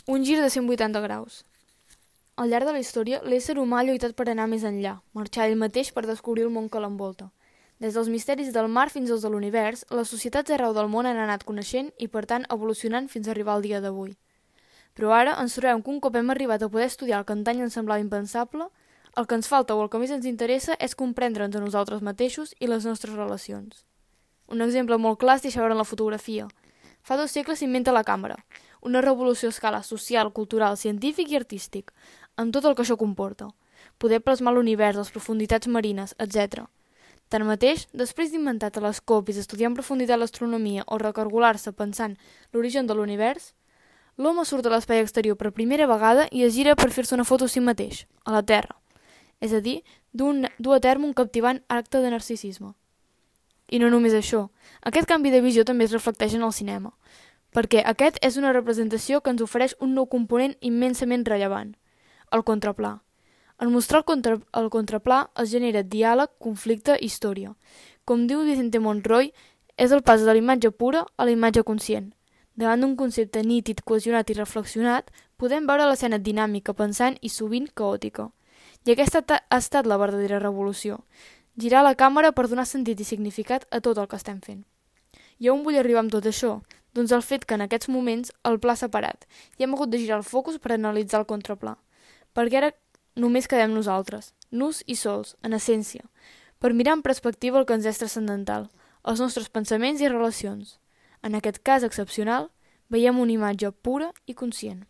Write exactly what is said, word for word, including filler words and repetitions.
Un gir de cent vuitanta graus. Al llarg de la història, l'ésser humà ha lluitat per anar més enllà, marxar ell mateix per descobrir el món que l'envolta. Des dels misteris del mar fins als de l'univers, les societats arreu del món han anat coneixent i, per tant, evolucionant fins a arribar al dia d'avui. Però ara ens trobem que un cop hem arribat a poder estudiar el que antany ens semblava impensable, el que ens falta o el que més ens interessa és comprendre'ns a nosaltres mateixos i les nostres relacions. Un exemple molt clar es deixa veure en la fotografia. Fa dos segles s'inventa la càmera, una revolució a escala social, cultural, científic i artístic, amb tot el que això comporta. Poder plasmar l'univers, les profunditats marines, etcètera. Tanmateix, després d'inventar telescopis, estudiar en profunditat l'astronomia o recargolar-se pensant l'origen de l'univers, l'home surt a l'espai exterior per primera vegada i es gira per fer-se una foto a si mateix, a la Terra. És a dir, dur a terme un captivant acte de narcisisme. I no només això, aquest canvi de visió també es reflecteix en el cinema, perquè aquest és una representació que ens ofereix un nou component immensament rellevant, el contraplà. En mostrar el, contra, el contraplà es genera diàleg, conflicte i història. Com diu Vicente Monroy, és el pas de la imatge pura a la imatge conscient. Davant d'un concepte nítid, cohesionat i reflexionat, podem veure l'escena dinàmica, pensant i sovint caòtica. I aquesta ha estat la verdadera revolució. Girar la càmera per donar sentit i significat a tot el que estem fent. I on vull arribar amb tot això? Doncs el fet que en aquests moments el pla s'ha parat i hem hagut de girar el focus per analitzar el contraplà. Perquè ara només quedem nosaltres, nus i sols, en essència, per mirar en perspectiva el que ens és transcendental, els nostres pensaments i relacions. En aquest cas excepcional, veiem una imatge pura i conscient.